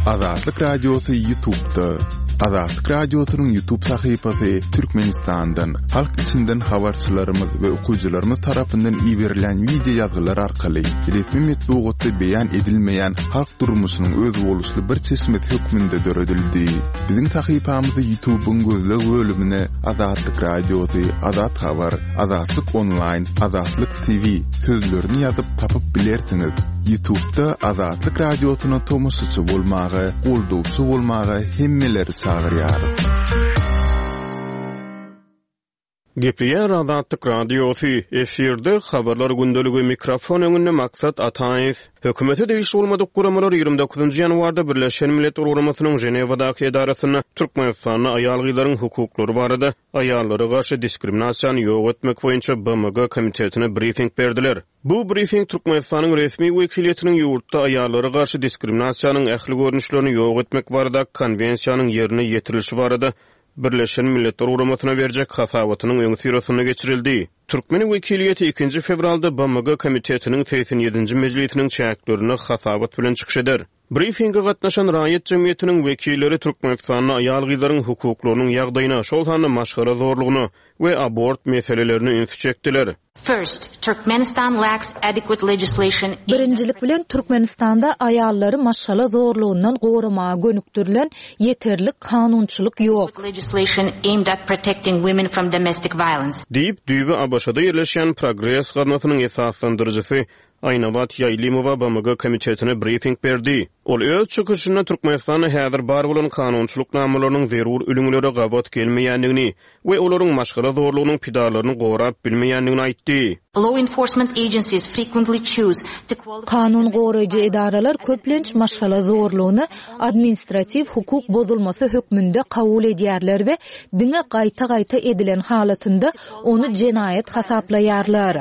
Azatlyk Radiosy Ýutubda. Azatlyk Radiosynyň Ýutub sahypasy Türkmenistandan, halk içinden habarçylarymyz we okyjylarymyz tarapyndan iberilýän wideo ýazgylar arkaly resmi metbugatda beýan edilmeýän halk durmuşynyň özboluşly bir çeşmesi hökmünde döredildi. Biziň sahypamyzy Ýutubyň gözleg bölümine Azatlyk Radiosy, Azat Habar, Azatlyk Onlaýn, Azatlyk TV sözlerini ýazyp tapyp bilersiňiz. Ýutubda Azatlyk Radiosyna tomaşaçy bolmaga, goldawçy bolmaga hemmeleri çagyrýarys. Gepleýär Azatlyk Radiosy, efirde Habarlar gündeligi, mikrofon öňünde Maksat Ataýew. Hökümete degişli bolmadyk guramalar 29-njy ýanwarda Birleşen Milletler Guramasynyň Ženewadaky edarasynda Türkmenistanda aýal-gyzlaryň hukuklary barada Aýallara garşy diskriminasiýany ýok etmek boýunça BMG komitetine brifing berdiler. Bu brifing Türkmenistanyň resmi wekiliýetiniň ýurtda aýallara garşy diskriminasiýanyň ähli görnüşlerini ýok etmek baradaky Konwensiýanyň ýerine ýetirilişi barada Birleşen Milletler Guramasyna berjek hasabatynyň öňüsyrasynda geçirildi. Türkmen wekiliýeti ikinji fewralda BMG komitetiniň 87-nji mejlisiniň çäklerinde hasabat bilen çykyş eder. Brifinge gatnaşan raýat jemgyýetiniň wekilleri Türkmenistanda aýal-gyzlaryň hukuklarynyň ýagdaýyna, şol sanda maşgala zorlugyna we abort meselelerine ünsi çekdiler. First, Turkmenistan lacks adequate legislation aimed at. Birinjilik bilen, Türkmenistanda aýallary maşgala zorlugyndan goramaga gönükdirilen ýeterlik kanunçylyk ýok. Legislation aimed at protecting women from domestic violence. Diýip, düýbi ABŞ-da ýerleşýän Progres gaznasynyň esaslandyryjysy Aýnabat Ýaýlymowa BMG komitetine brifing berdi. Ol öz çykyşynda Türkmenistanda häzir bar bolan kanunçylyk namalarynyň zerur ülňülere gabat gelmeýändigini we olaryň maşgala zorlugynyň pidalaryny gorap bilmeýändigini aýtdy. Law enforcement agencies frequently choose to qualify. Kanun goraýjy edaralar köplenç maşgala zorlugyny administratiw hukuk bozulmasy hökmünde kabul edýärler we diňe gaýta-gaýta edilen halatynda ony jenaýat hasaplaýarlar.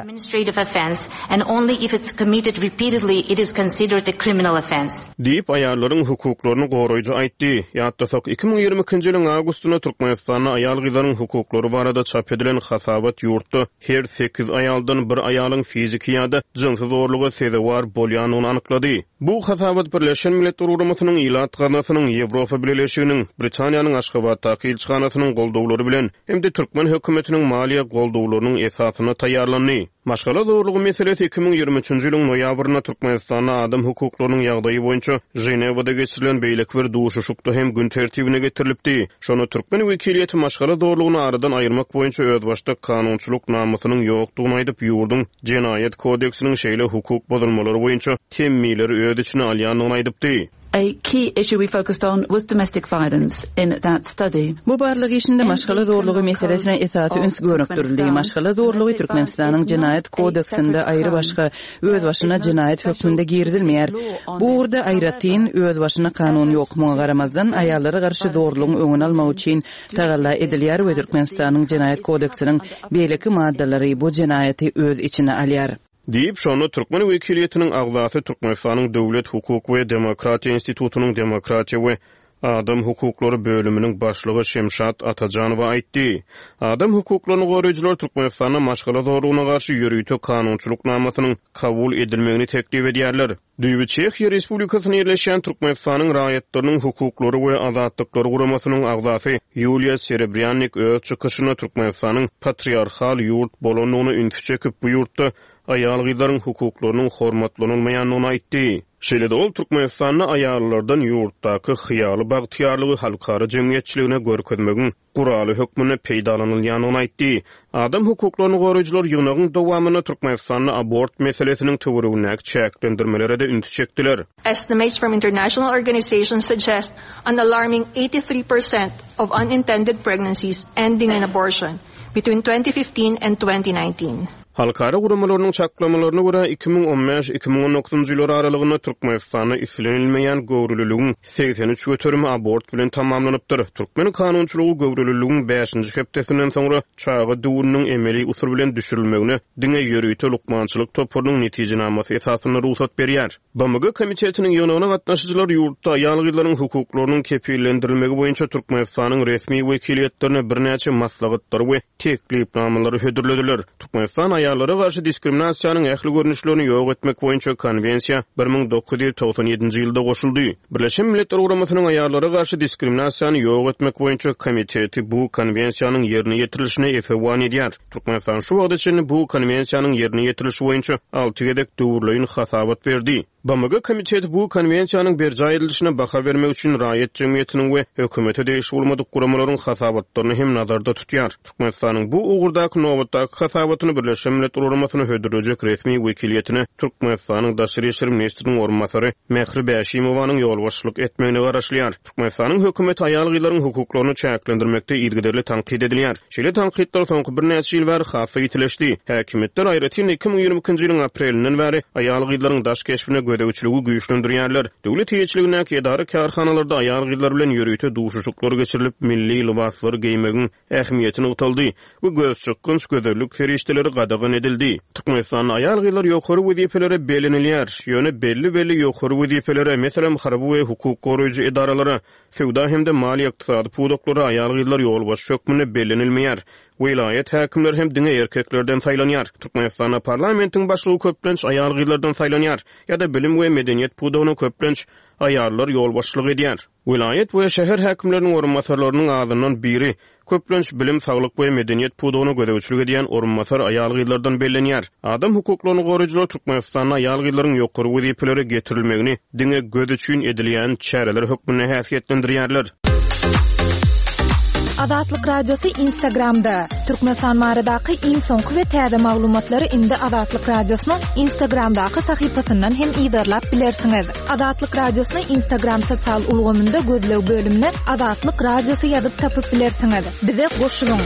Diýip, aýallaryň hukuklaryny goraýjy aýtdy. Ýatlasak, 2022-nji ýylyň awgustynda Türkmenistanda aýal-gyzlaryň hukuklary barada çap edilen hasabat ýurtda her sekiz aýaldan bir aýalyň fiziki ýa-da jynsy zorluga sezewar bolýandygyny anyklady. Bu hasabat Birleşen Milletler Guramasynyň Ilat Gaznasynyň, Ýewropa Bileleşiginiň, Britaniýanyň Aşgabatdaky ilçihanasynyň goldawlary bilen hem-de türkmen hökümetiniň maliýe goldawlarynyň esasynda taýýarlandy. Maşgala zorlugy meselesi 2023-nji ýylyň noýabrynda Türkmenistanda adam hukuklarynyň ýagdaýy boýunça Ženewada geçirilen beýleki bir duşuşykda hem gün tertibine getirilipdi. Şonda türkmen wekiliýeti maşgala zorlugyny aradan aýyrmak boýunça özbaşdak kanunçylyk namasynyň ýokdugyny aýdyp, ýurduň Jenaýat kodeksiniň şeýle hukuk bozulmalary boýunça temmileri öz içine alýandygyny aýdypdy. A key issue we focused on was domestic violence in that study. Bu barlag işinde maşgala zorlugy meselesine esasy üns gönükdirildi. Maşgala zorlugy Türkmenistanyň Jenaýat kodeksinde aýry-başga, özbaşyna jenaýat hökmünde girizilmeýär. Bu ugurda aýratyn, özbaşyna kanun ýok. Muňa garamazdan, aýallara garşy zorlugyň öňüni almak üçin tagalla edilýär we Türkmenistanyň Jenaýat kodeksiniň beýleki maddalary bu jenaýaty öz içine alýar. Diýip, şonda türkmen wekiliýetiniň agzasy Türkmenistanyň Döwlet, hukuk we demokratiýa institutynyň demokratiýa we adam hukuklary bölüminiň başlygy Şemşat Atajanowa aýtdy. Adam hukuklaryny goraýjylar Türkmenistanda maşgala zorlugyna garşy ýörite kanunçylyk namasynyň kabul edilmegini teklip edýärler. Düýbi Çehiýa Respublikasynda ýerleşýän Türkmenistanyň Raýatlarynyň hukuklary we azatlyklary guramasynyň agzasy Ýuliýa Serebrýannik öz çykyşynda Türkmenistanyň patriarhal ýurt bolandygyna ünsi çekip, bu ýurtda aýal-gyzlaryň hukuklarynyň hormatlanylmaýandygyny aýtdy. Şeýle-de ol Türkmenistanda aýallardan ýurtdaky hyýaly bagtyýarlygy halkara jemgyýetçiligine görkezmegiň guraly hökmünde peýdalanylýandygyny aýtdy. Adam hukuklaryny goraýjylar ýygnagyň dowamynda Türkmenistanda abort meselesiniň töweregindäki çäklendirmelere-de ünsi çekdiler. Estimates from international organizations suggest an alarming 83% of unintended pregnancies ending in abortion between 2015 and 2019. Halkara guramalarynyň çaklamalaryna görä, 2015, 2019-njy ýyllar aralygynda Türkmenistanda islenilmeýän göwreliligiň 83 göterimi abort bilen tamamlanypdyr. Türkmen kanunçylygy göwreliligiň bäşinji hepdesinden soňra çaga düwüniniň emeli usul bilen düşürilmegine diňe ýörite lukmançylyk toparynyň netijenamasy esasynda rugsat berýär. BMG Komitetiniň ýygnagyna gatnaşyjylar ýurtda aýal-gyzlaryň hukuklarynyň kepillendirilmegi boýunça Türkmenistanyň resmi wekiliýetlerine birnäçe maslahatlary we teklipnamalary hödürlediler. Türkmenistan aýal. Aýallara garşy diskriminasiýanyň ähli görnüşlerini ýok etmek boýunça Konwensiýa 1997-nji ýylda goşuldy. Birleşen Milletler Guramasynyň Aýallara garşy diskriminasiýany ýok etmek boýunça Komiteti bu Konwensiýanyň ýerine ýetirilişine esewan edýär. Türkmenistan şu wagta çenli bu Konwensiýanyň ýerine ýetirilişi boýunça alty gezek döwürleýin hasabat berdi. BMG Komiteti bu Konwensiýanyň berjaý edilişine baha bermek üçin raýat jemgyýetiniň we hökümete degişli bolmadyk guramalaryň hasabatlaryny hem nazarda tutýar. Türkmenistanyň bu ugurdaky nobatdaky hasabatyny Birleşen Milletler Guramasyna hödürlejek resmi wekiliýetine Türkmenistanyň daşary işler ministriniň orunbasary Mähri Bäşimowanyň ýolbaşçylyk etmegine garaşylýar. Türkmenistanyň hökümeti aýal-gyzlaryň hukuklaryny çäklendirmekde yzygiderli tankyt edilýär. Şeýle tankytlar soňky birnäçe ýyl bäri has-da ýitileşdi. Häkimiýetler, aýratyn-da, 2022-nji ýylyň aprelinden bäri aýal-gyzlaryň daş keşbine gözegçiligi güýçlendirýärler. Döwlet eýeçiligindäki edara-kärhanalarda aýal-gyzlar bilen ýörite duşuşyklar geçirilip, milli lybaslary geýmegiň ähmiýeti nygtaldy we gözçykgynç gözellik serişdeleri gadagan edildi. Türkmenistanda aýal-gyzlar ýokary wezipelere bellenilýär, ýöne belli-belli ýokary wezipelere, meselem, harby we hukuk goraýjy edaralara, söwda hem-de maliýe-ykdysady pudaklara aýal-gyzlar ýolbaşçy hökmünde bellenilmeýär. Welaýat häkimleri hem diňe erkeklerden saýlanýar. Türkmenistanda parlamentiň başlygy köplenç aýal-gyzlardan saýlanýar ýa-da bilim we medeniýet pudagyna köplenç aýallar ýolbaşçylyk edýär. Welaýat we şäher häkimleriniň orunbasarlarynyň azyndan biri, köplenç, bilim, saglyk we medeniýet pudagyna gözegçilik edýän orunbasar aýal-gyzlardan bellenýär. Adam hukuklaryny goraýjylar Türkmenistanda aýal-gyzlaryň ýokary wezipelere getirilmegini diňe göz üçin edilýän çäreler hökmünde häsiýetlendirýärler. Azatlyk Radiosy Instagramda, Türkmenistan baradaky iň soňky we täze maglumatlary indi Azatlyk Radiosynyň Instagramdaky sahypasyndan hem yzarlap bilersiňiz. Azatlyk Radiosyny Instagram sosial ulgamynda gözleg bölümine Azatlyk Radiosy ýazyp tapyp bilersiňiz. Bize goşulyň!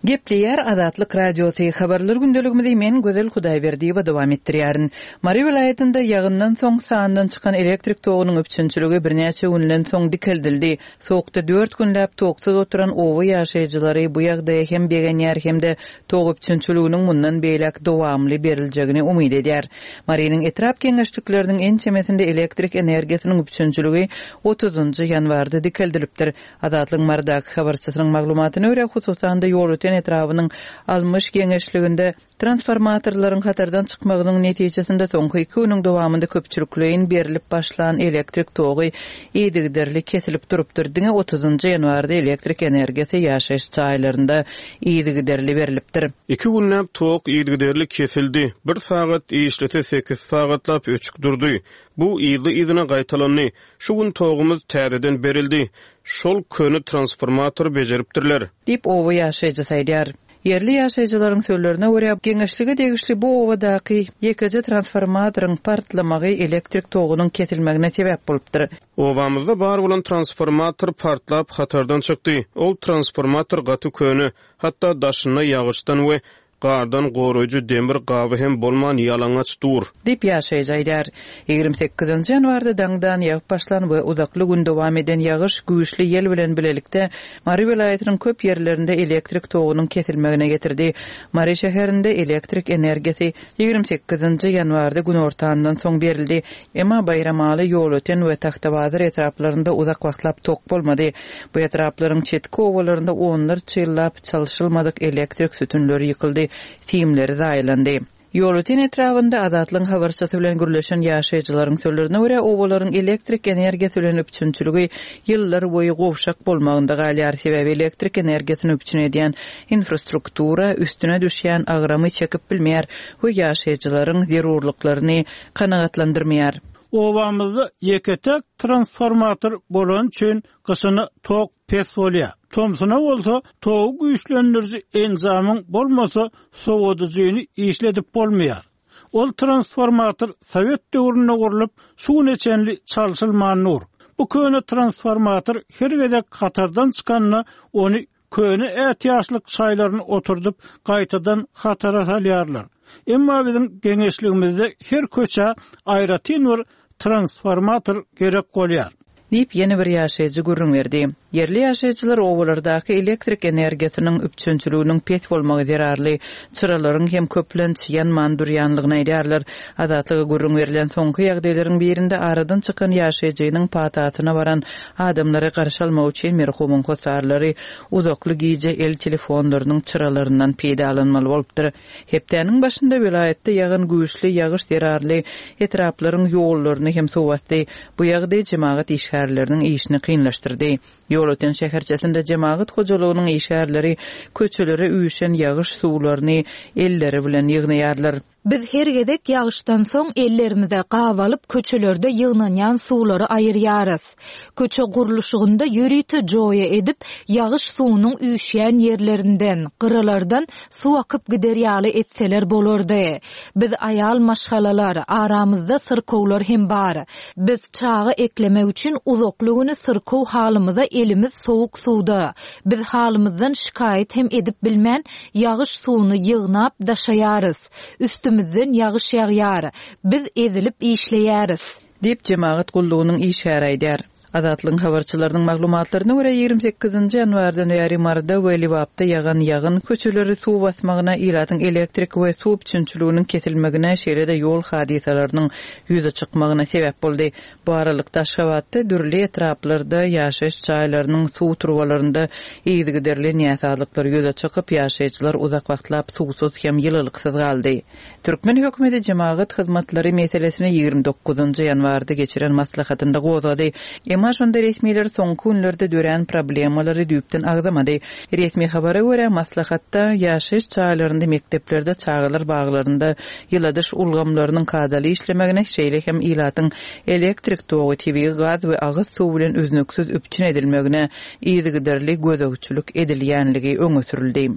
Gepleýär Azatlyk Radiosy, Habarlar gündeligimizi men Gözel Hudaýberdiýewa dowam etdirýärin. Mary welaýatynda ýagyndan soň sandan çykan elektrik togunyň üpjünçiligi birnäçe günden soň dikeldildi. Sowukda dört günläp toksuz oturan oba ýaşaýjylary bu ýagdaýa hem begenýär hem-de tok üpjünçiliginiň mundan beýläk dowamly beriljegini umyt edýär. Marynyň etrap geňeşlikleriniň ençemesinde elektrik energiýasynyň üpjünçiligi otuzynjy ýanwarda dikeldilipdir. Azatlygyň Marydaky habarçysynyň maglumatyna görä, hususan-da Ýolöten etrabynyň Almyş geňeşliginde Transformatorlaryň hatardan çykmagynyň netijesinde soňky iki günüň dowamynda köpçülikleýin berlip başlan elektrik togy yzygiderli kesilip durupdyr. Diňe otuzynjy ýanwarda elektrik energiýasy ýaşaýyş jaýlarynda yzygiderli berlipdir. Iki günläp tok yzygiderli kesildi. Bir sagat işlese sekiz sagatlap öçük durdy. Bu yzly-yzyna gaýtalandy. Şu gün togumyz täzeden berildi. Şol köne transformatory bejeripdirler. Diýip, oba ýaşaýjysy aýdýar. Ýerli ýaşaýjylaryň sözlerine görä, geňeşlige degişli bu obadaky ýekeje transformatoryň partlamagy elektrik togunyň kesilmegine sebäp bolupdyr. Obamyzda bar bolan transformator partlap hatardan çykdy. Ol transformator gaty köne, hatda daşynda ýagyşdan we Gardan goraýjy demir gaby hem bolman ýalaňaç dur. Diýip, ýaşaýjy aýdýar. 28-nji ýanwarda daňdan ýagyp başlan we uzakly gün dowam eden ýagyş güýçli ýel bilen bilelikde Mary welaýatynyň köp ýerlerinde elektrik togunyň kesilmegine getirdi. Mary şäherinde elektrik energiýasy 28-nji ýanwarda günortandan soň berildi. Emma Baýramaly, Ýolöten we Tagtabazar etraplarynda uzak wagtlap tok bolmady. Bu etraplaryň çetki obalarynda onlarça ýyllap çalşylmadyk elektrik sütünleri ýykyldy, simleri zaýalandy. Ýolöten etrabynda Azatlygyň habarçysy bilen gürleşen ýaşaýjylaryň sözlerine görä, obalaryň elektrik energiýasy bilen üpjünçiligi ýyllar boýy gowşak bolmagynda galýar, sebäbi elektrik energiýasyny üpjün edýän infrastruktura üstüne düşýän agramy çekip bilmeýär we ýaşaýjylaryň zerurlyklaryny kanagatlandyrmaýar. Obamyzda ýeke-täk transformator bolany üçin gyşyna tok pes bolýar. Tomsuna bolsa togy güýçlendiriji enjamyň bolmasa sowadyjyny işledip bolmaýar. Ol transformator sowet döwründe gurlup, şu güne çenli çalşylman dur. Bu köne transformator her gezek hatardan çykanda ony Köne ätiýaçlyk şaýlaryny oturdyp, gaýtadan hatara salýarlar. Emma biziň geňeşligimizde her köçä aýratyn bir transformator gerek bolýar. Diýip, ýene bir ýaşaýjy gürrüň berdi. Ýerli ýaşaýjylar obalardaky elektrik energiýasynyň üpjünçiliginiň pes bolmagy zerarly, çyralaryň hem köplenç ýanman durýanlygyny aýdýarlar. Azatlyga gürrüň berlen soňky ýagdaýlaryň birinde aradan çykan ýaşaýjynyň patasyna baran adamlary garşy almak üçin merhumyň hossarlary uzakly gije el telefonlarynyň çyralaryndan peýdalanmaly bolupdyr. Hepdäniň başynda welaýatda ýagan güýçli ýagyş zerarly etraplaryň ýollaryny hem suw basdy. Bu ýagdaý jemagat işgärleriniň işini kynlaşdyrdy. Ýolöten şäherçesinde jemagat hojalygynyň işgärleri köçelere üýşen ýagyş suwlaryny elleri bilen ýygnaýarlar. Biz her gezek ýagyşdan soň ellerimize gap alyp köçelerde ýygnanýan suwlary aýyrýarys. Köçe gurluşygynda ýörite joýa edip, ýagyş suwunyň üýşýän ýerlerinden, gyralardan suw akyp gider ýaly etseler bolardy. Biz aýal maşgalalar, aramyzda syrkawlar hem bar. Biz çaga eklemek üçin uzakly güni syrkaw halymyza elimiz sowuk suwda. Biz halymyzdan şikaýat hem edip bilmän, ýagyş suwuny ýygnap, daşaýarys. Üstümizden ýagyş ýagýar. Biz ezilip işleýäris. Diýip, jemagat gullugynyň işgäri aýdýar. Azatlygyň habarçylarynyň maglumatlaryna görä, 28 nji ýanwardan bäri Maryda we Lebapda ýagan ýagyn köçeleri suw basmagyna, ilatyň elektrik we suw üpjünçiliginiň kesilmegine, şeýle-de ýol hadysalarynyň ýüze çykmagyna sebäp boldy. Bu aralykda, Aşgabatda dürli etraplarda ýaşaýyş jaýlarynyň suw turbalarynda yzygiderli näsazlyklar ýüze çykyp, ýaşaýjylar uzak wagtlap suwsuz hem ýylylyksyz galdy. Türkmen hökümeti jemagat hyzmatlary meselesini 29 nji ýanwarda geçiren maslahatynda gozgady. Emma şonda resmiler soňky günlerde dörän problemalary düýpden agzamady. Resmi habara görä, maslahatda ýaşaýyş jaýlarynda, mekdeplerde, çagalar baglarynda ýyladyş ulgamlarynyň kadaly işlemegine, şeýle hem ilatyň elektrik togy, tebigy gaz we agyz suw bilen üznüksiz üpjün edilmegine yzygiderli gözegçilik edilýänligi öňe sürüldi.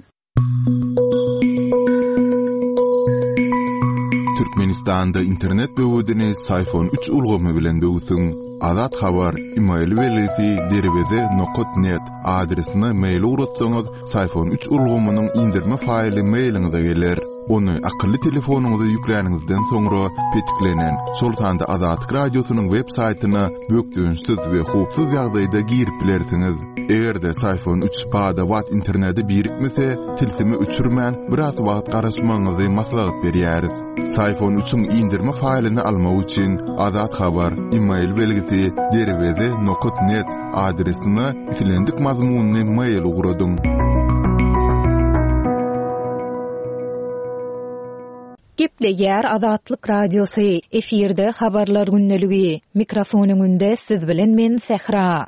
Türkmenistanda internet böwedini Syfon 3 ulgamy bilen böwsüň. Azat Habar, email belgisi derweze nokat net adresine mail ugratsaňyz, Syfon 3 ulgamynyň indirme faýly mailiňize geler. Ony akylly telefonyňyza ýükläniňizden soňra petiklenen, şol sanda Azatlyk Radiosynyň web saýtyna bökdençsiz we howpsuz ýagdaýda girip bilersiňiz. Eger-de Syfon 3 bada-bat internete birikmese, tilsimi öçürmän, biraz wagt garaşmagyňyzy maslahat berýäris. Syfon 3-iň indirme faýlyny almak üçin Azat Habar, e-mail belgisi derweze nokat net adresine islendik mazmunly mail ugradyň. Gepleýär Azatlyk Radiosy, efirde Habarlar gündeligi. Mikrofon öňünde siz bilen men Sähra.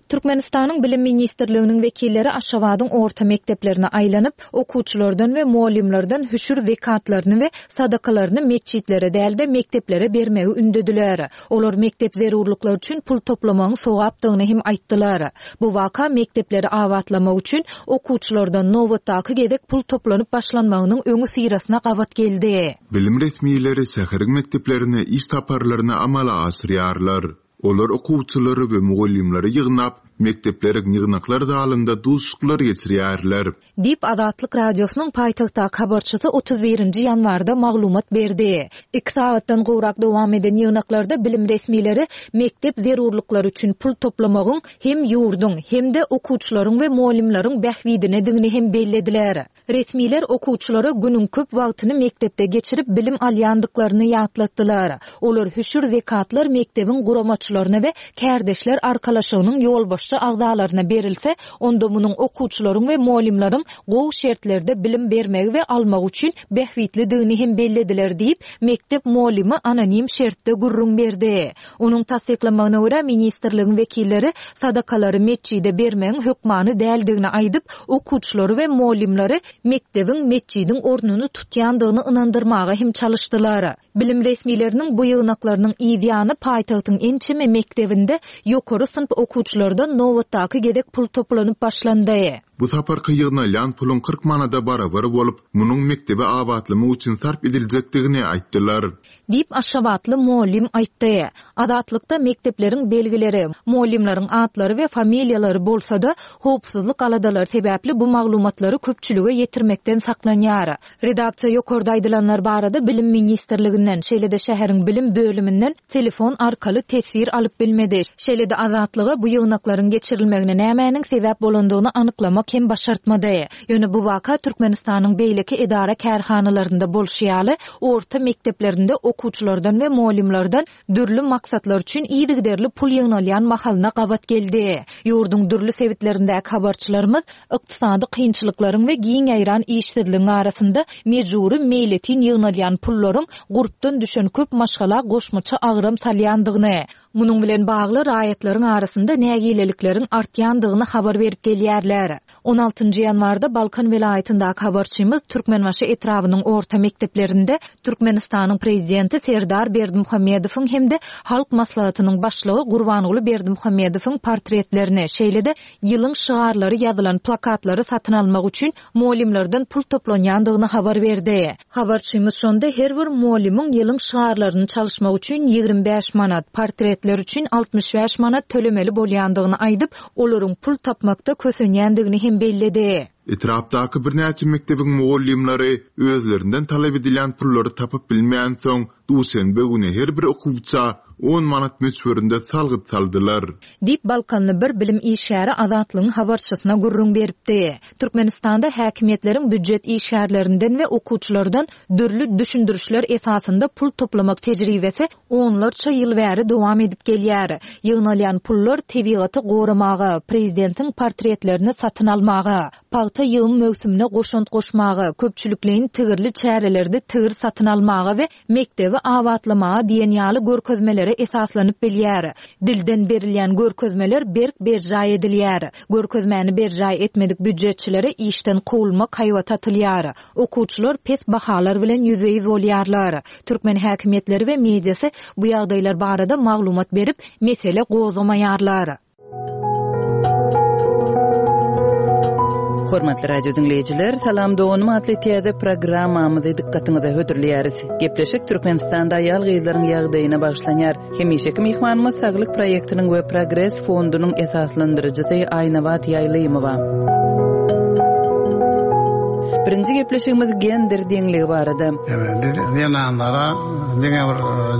Türkmenistanyň Bilim ministrliginiň wekilleri Aşgabadyň orta mekdeplerine aýlanyp, okuwçylardan we mugallymlardan hüşür zekatlaryny we sadakalaryny metjitlere däl-de, mekdeplere bermegi ündediler. Olar mekdep zerurlyklary üçin pul toplamagyň sogapdygyny hem aýtdylar. Bu waka mekdepleri abatlamak üçin okuwçylardan nobatdaky gezek pul toplanyp başlanmagynyň öňüsyrasyna gabat geldi. Bilim resmileri şäheriň mekdeplerine iş saparlaryny amala aşyrýarlar. Olar okuwçylary we mugallymlary ýygnap, mekdepleriň ýygnaklar zalynda duşuşyklar geçirýärler. Diýip, Azatlyk Radiosynyň paýtagtdaky habarçysy 31 nji ýanwarda maglumat berdi. Iki sagatdan gowrak dowam eden ýygnaklarda bilim resmileri mekdep zerurlyklary üçin pul toplamagyň hem ýurduň, hem-de okuwçylaryň we mugallymlaryň bähbidinedigini hem bellediler. Resmiler okuwçylara günüň köp wagtyny mekdepde geçirip bilim alýandyklaryny ýatlatdylar. Olar hüşür-zekatlar mekdebiň guramaçylaryna we kärdeşler arkalaşygynyň ýolbaşçy agzalaryna berilse, onda munuň okuwçylaryň we mugallymlaryň gowy şertlerde bilim bermegi we almagy üçin bähbitlidigini hem bellediler diýip, mekdep mugallymy anonim şertde gürrüň berdi. Onuň tassyklamagyna görä, ministrligiň wekilleri sadakalary metjide bermegiň hökmany däldigini aýdyp, okuwçylary we mugallymlary mekdebiň metjidiň ornuny tutýandygyny ynandyrmaga hem çalyşdylar. Bilim resmileriniň bu ýygnaklarynyň yz ýany paýtagtyň ençeme mekdebinde ýokary synp okuwçylardan nobatdaky gezek pul toplanyp başlandy. Bu saparky ýygnalýan puluň 40 manada barabar bolup, munuň mekdebi abatlamak üçin sarp ediljekdigini aýtdylar. Diýip, aşgabatly mugallym aýtdy. Azatlykda mekdepleriň belgileri, mugallymlaryň atlary we familiýalary bolsa-da, howpsuzlyk aladalary sebäpli bu maglumatlary köpçülige ýetirmekden saklanýar. Redaksiýa ýokarda aýdylanlar barada Bilim ministrliginden, şeýle-de şäheriň bilim bölüminden telefon arkaly teswir alyp bilmedi. Şeýle-de Azatlyga bu ýygnaklaryň geçirilmegine nämäniň sebäp bolandygyny anyklamak hem başartmady. Ýöne bu waka Türkmenistanyň beýleki edara-kärhanalarynda bolşy ýaly, orta mekdeplerinde okuwçylardan we mugallymlardan dürli maksatlar üçin yzygiderli pul ýygnalýan mahalyna gabat geldi. Ýurduň dürli sebitlerindäki habarçylarymyz ykdysady kynçylyklaryň we giň ýaýran işsizligiň arasynda mejbury meýletin ýygnalýan pullaryň gurpdan düşen köp maşgala goşmaça agram salýandygyny, munuň bilen bagly raýatlaryň arasynda nägilelikleriň artýandygyny habar berip gelýärler. On altynjy ýanwarda Balkan welaýatyndaky habarçymyz Türkmenbaşy etrabynyň orta mekdeplerinde Türkmenistanyň Prezidenti Serdar Berdimuhamedowyň hem-de Halk Maslahatynyň Başlygy Gurbanguly Berdimuhamedowyň portretlerini, şeýle-de ýylyň şygarlary ýazylan plakatlary satyn almak üçin mugallymlardan pul toplanýandygyny habar berdi. Habarçymyz şonda her bir mugallymyň ýylyň şygarlaryny çalyşmak üçin 25 manat, portretler üçin 65 manat tölemeli bolýandygyny aýdyp, olaryň pul tapmakda kösenýändigini hem belledi. Etrapdaky birnäçe mekdebiň mugallymlary özlerinden talap edilýän pullary tapyp bilmänsoň, duşenbe güni her bir okuwça on manat möçberinde salgyt saldylar. Diýip, balkanly bir bilim işgäri Azatlygyň habarçysyna gürrüň beripdi. Türkmenistanda häkimiýetleriň býujet işgärlerinden we okuwçylardan dürli düşündirişler esasynda pul toplamak tejribesi onlarça ýyl bäri dowam edip gelýär. Ýygnalýan pullar tebigaty goramaga, prezidentiň portretlerini satyn almaga, pagta ýygym möwsümine goşant goşmaga, köpçülikleýin tigirli çärelerde tigir satyn almaga we mekdebi abatlamaga diýen ýaly görkezmelere esaslanyp bilýär. Dilden berilýän görkezmeler berk berjaý edilýär. Görkezmäni berjaý etmedik býujetçilere işden kowulmak haýbaty atylýar. Okuwçylar pes bahalar bilen ýüzbe-ýüz bolýarlar. Türkmen häkimiýetleri we mediasy bu ýagdaýlar barada maglumat berip, mesele gozgamaýarlar. Hormatly radio diňleýjiler, Salam doganym atly täze programmamyzy dykgatyňyza hödürleýäris. Gepleşik Türkmenistanda aýal-gyzlaryň ýagdaýyna bagyşlanýar. Hemişeki myhmanymyz Saglyk proýektiniň we Progres fondunyň esaslandyryjysy Aýnabat Ýaýlymowa. Birinji gepleşigimiz gender deňligi barada. Biz zenanlara diňe bir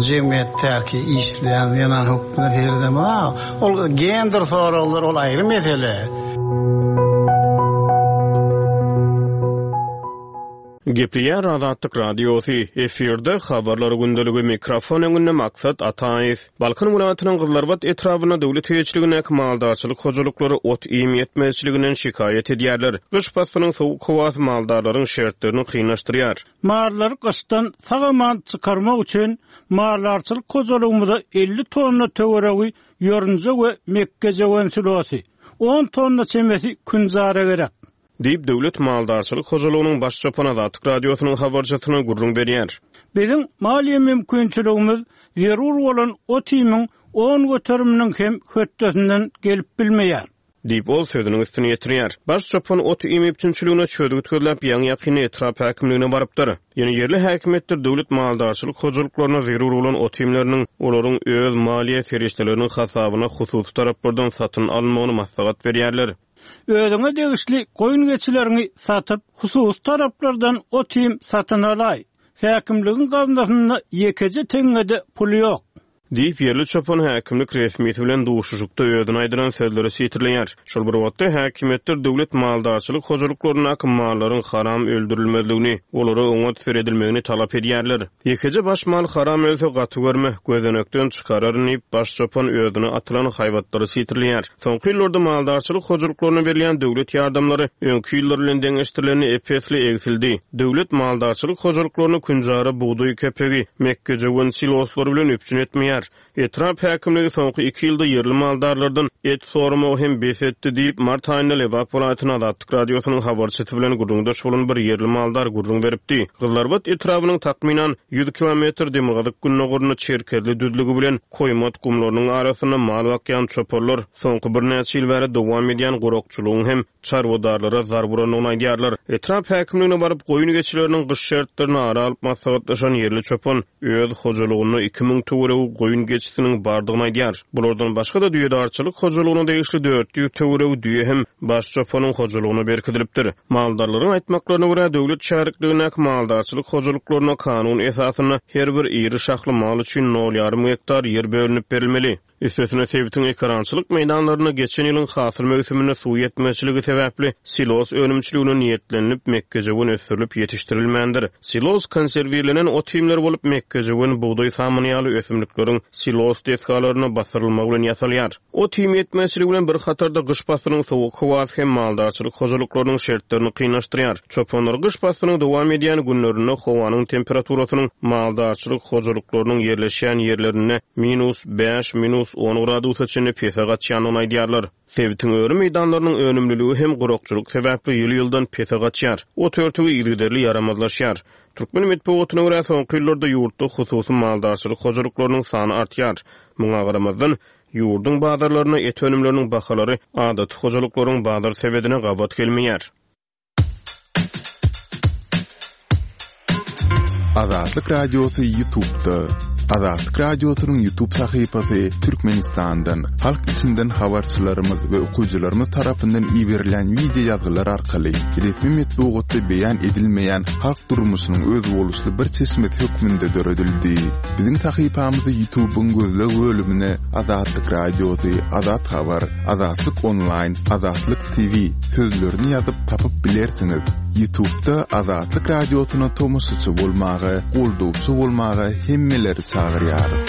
jemgyýetdäki işleýän zenan hökmünde seredemok. Ol gender soraglary ol aýry mesele. Gepleýär Azatlyk Radiosy, efirde Habarlar gündeligi, mikrofon öňünde Maksat Ataýew. Balkan welaýatynyň Gyzylarbat etrabynda döwlet eýeçiligindäki maldarçylyk hojalyklary ot-iým ýetmezçiliginden şikaýat edýärler. Gyş paslynyň sowuk howasy maldarlaryň şertlerini kynlaşdyrýar. Mallary gyşdan sag-aman çykarmak üçin maldarçylyk hojalygymyza 50 tonna töweregi ýorunja we mekgejöwen silosy, on tonna çemesi künjara gerek. Diýip, Döwlet maldarçylyk hojalygynyň baş çopany Azatlyk Radiosynyň habarçysyna gürrüň berýär. Biziň maliýe mümkinçiligimiz zerur bolan ot-iýmiň on göteriminiň hem hötdesinden gelip bilmeýär. Diýip, ol sözüniň üstüni ýetirýär. Baş çopan ot-iým üpjünçiligine çözgüt gözläp, ýaňy-ýakynda etrap häkimligine barypdyr. Ýöne ýerli häkimiýetler döwlet maldarçylyk hojalyklaryna zerur bolan ot-iýmleriniň olaryň öz maliýe serişdeleriniň hasabyna hususy taraplardan satyn alynmagyny maslahat berýärler. Özüňe degişli goýun-geçileriňi satyp, hususy taraplardan ot-iým satyn alaý. Häkimligiň gaznasynda ýekeje teňňe-de pul ýok. Diýip, ýerli çopan häkimlik resmisi bilen duşuşykda özüne aýdylan sözleri sitirleýär. Şol bir wagtda, häkimiýetler döwlet maldarçylyk hojalyklaryndaky mallaryň haram öldürilmezligini, olara oňat seredilmegini talap edýärler. Ýekeje baş mal haram ölse gaty görme, gözenekden çykararyn diýip, baş çopan özüne atylan haýbatlary sitirleýär. Soňky ýyllarda maldarçylyk hojalyklaryna berilýän döwlet ýardamlary öňki ýyllar bilen deňeşdirilende ep-esli egsildi. Döwlet maldarçylyk hojalyklaryny künjara bugdaý kepegi, mekgejöwen siloslary bilen üpjün etmeýär. edilýär. Etrap häkimligi soňky iki ýylda ýerli maldarlardan et soramagy hem bes etdi diýip, mart aýynda Lebap welaýatynda Azatlyk Radiosynyň habarçysy bilen gürrüňdeş bolan bir ýerli maldar gürrüň beripdi. Gyzylarbat etrabynyň takmynan ýüz kilometr demirgazyk-gündogarynda Çerkezli düzlügi bilen Koýmat gumlarynyň arasynda mal bakýan çopanlar soňky birnäçe ýyl bäri dowam edýän gurakçylygyň hem çarwadarlara zarba urandygyny aýdýarlar. Etrap häkimligine baryp, goýun-geçileriniň gyş şertlerini ara alyp maslahatlaşan ýerli çopan öz hojalygynda 2000 töweregi goýun-geçisiniň bardygyny aýdýar. Bulardan başga-da düýedarçylyk hojalygyna degişli 400 töweregi düýe hem baş çopanyň hojalygyna berkidilipdir. Maldarlaryň aýtmaklaryna görä, döwlet şärikligindäki maldarçylyk hojalyklaryna kanun esasynda her bir iri şahly mal üçin nol ýarym gektar ýer bölünip berilmeli. Üstesine, sebitiň ekerançylyk meýdanlarynda geçen ýylyň hasyl möwsüminde suw ýetmezçiligi sebäpli silos önümçiligine niýetlenilip mekgejöwen ösdürilip ýetişdirilmändir. Silos konserwirlenen ot-iýmler bolup, mekgejöwen, bugdaý samany ýaly ösümlikleriň silos desgalaryna basyrylmagy bilen ýasalýar. Ot-iým ýetmezçiligi bilen bir hatarda gyş paslynyň sowuk howasy hem maldarçylyk hojalyklarynyň şertlerini kynlaşdyrýar. Çopanlar gyş paslynyň dowam edýän günlerinde howanyň temperaturasynyň maldarçylyk hojalyklarynyň ýerleşýän ýerlerinde minus bäş, minus on gradusa çenli pese gaçýandygyny aýdýarlar. Sebitiň öri meýdanlarynyň önümliligi hem gurakçylyk sebäpli ýyl-ýyldan pese gaçýar. Ot örtügi yzygiderli ýaramazlaşýar. Türkmen metbugatyna görä, soňky ýyllarda ýurtda hususy maldarçylyk hojalyklarynyň sany artýar. Muňa garamazdan, ýurduň bazarlarynda et önümleriniň bahalary adaty hojalyklaryň bazar sebedine gabat gelmeýär. Azatlyk Radiosy Ýutubda. Azatlyk Radiosynyň Ýutub sahypasy Türkmenistandan, halk içinden habarçylarymyz we okyjylarymyz tarapyndan iberilýän wideo ýazgylar arkaly resmi metbugatda beýan edilmeýän halk durmuşynyň özboluşly bir çeşmesi hökmünde döredildi. Biziň sahypamyzy Ýutubyň gözleg bölümine Azatlyk Radiosy, Azat Habar, Azatlyk Onlaýn, Azatlyk TV sözlerini ýazyp tapyp bilersiňiz. Ýutubda Azatlyk Radiosyna tomaşaçy bolmaga, goldawçy bolmaga hemmeleri çagyrýarys.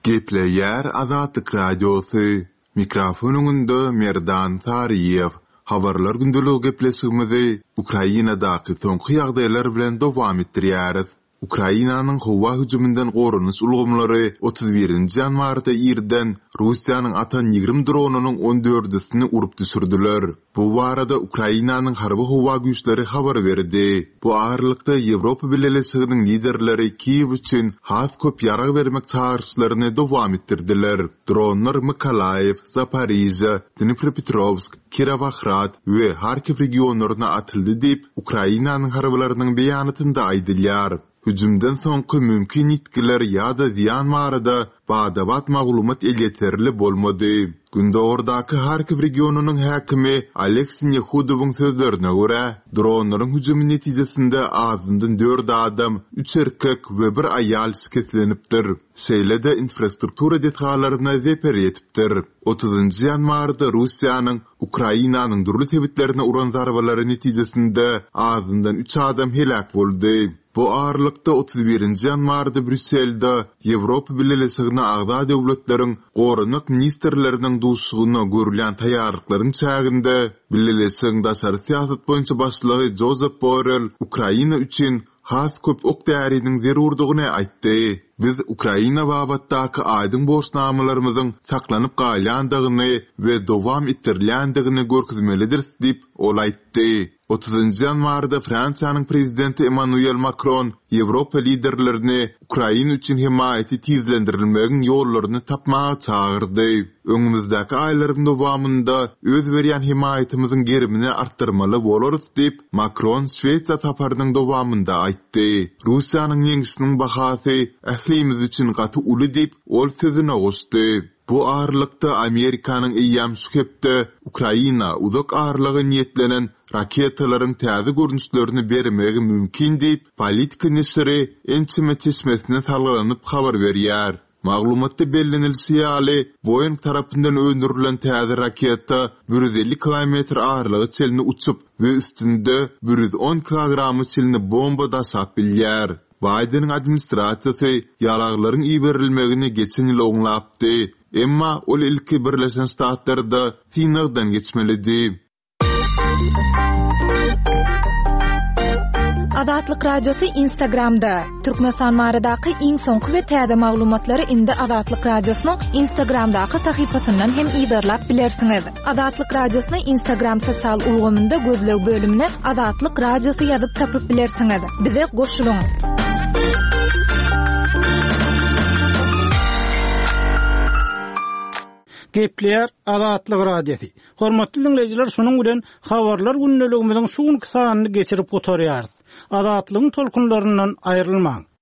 Gepleýär Azatlyk Radiosy, Mikrofon öňünde Merdan Saryýew. Habarlar gündeligi gepleşigimizi Ukrainadaky soňky ýagdaýlar bilen dowam etdirýäris. Ukrainanyň howa hüjüminden goranyş ulgamlary 31 nji ýanwarda irden Russiýanyň atan 20 dronynyň on dördüsini urup düşürdiler. Bu barada Ukrainanyň Harby-howa güýçleri habar berdi. Bu aralykda, Ýewropa Bileleşiginiň liderleri Kiýew üçin has köp ýarag bermek çagyryşlaryny dowam etdirdiler. Dronlar Mykolaýiw, Zaporižýa, Dnipropetrowsk, Kirowohrad we Harkiw regionlaryna atyldy diýip, Ukrainanyň harbylarynyň beýanatynda aýdylýar. Hüjümden soňky mümkin ýitgiler ýa-da zyýan barada bada-bat maglumat elýeterli bolmady. Gündogardaky Harkiw regionynyň häkimi Oleg Sinehudowyň sözlerine görä, dronlaryň hüjümi netijesinde azyndan dört adam, üç erkek we bir aýal şikeslenipdir. Şeýle-de infrastruktura desgalaryna zeper ýetipdir. Otuzynjy ýanwarda Russiýanyň Ukrainanyň dürli sebitlerine uran zarbalary netijesinde azyndan üç adam heläk boldy. Bu aralykda, 31 nji ýanwarda Brýusselde Ýewropa Bileleşigine agza döwletleriň goranmak ministrleriniň duşuşygyna görülýän taýýarlyklaryň çäginde Bileleşigiň daşary syýasat boýunça başlygy Jozep Borrell Ukraina üçin has köp ok-däriniň zerurdygyny aýtdy. Biz Ukraina babatdaky aýdyň borçnamalarymyzyň saklanyp galýandygyny we dowam etdirilýändigini görkezmelidiris diýip, ol aýtdy. Otuzynjy ýanwarda Fransiýanyň prezidenti Emmanuel Makron Ýewropa liderlerini Ukraina üçin hemaýaty tizlendirilmegiň ýollaryny tapmaga çagyrdy. Öňümizdäki aýlaryň dowamynda öz berýän hemaýatymyzyň gerimini artdyrmaly bolarys diýip, Makron Şwesiýa saparynyň dowamynda aýtdy. Russiýanyň ýeňşiniň bahasy ählimiz üçin gaty uly diýip, ol sözüne goşdy. Bu aralykda, Amerikanyň eýýäm şu hepde Ukraina uzak aralyga niýetlenen raketalaryň täze görnüşlerini bermegi mümkin diýip, Politico neşiri ençeme çeşmesine salgylanyp habar berýär. Maglumatda bellenilişi ýaly, Boeing tarapyndan öndürilen täze raketa 150 kilometr aralyga çenli uçup we üstünde 110 kilograma çenli bomba daşap bilýär. Baýdeniň administrasiýasy ýaraglaryň iberilmegini geçen ýyl oňlapdy, emma ol ilki Birleşen Ştatlarda synagdan geçmelidi. Azatlyk Radiosy Instagramda! Türkmenistan baradaky iň soňky we täze maglumatlary indi Azatlyk Radiosynyň Instagramdaky sahypasyndan hem yzarlap bilersiňiz. Azatlyk Radiosyny Instagram sosial ulgamynda gözleg bölümine Azatlyk Radiosy ýazyp tapyp bilersiňiz. Bize goşulyň! Gepleýär Azatlyk Radiosy. Hormatly diňleýjiler, şunuň bilen Habarlar gündeligimiziň şu günki sanyny geçirip gutarýarys. Azatlygyň tolkunlaryndan aýrylmaň!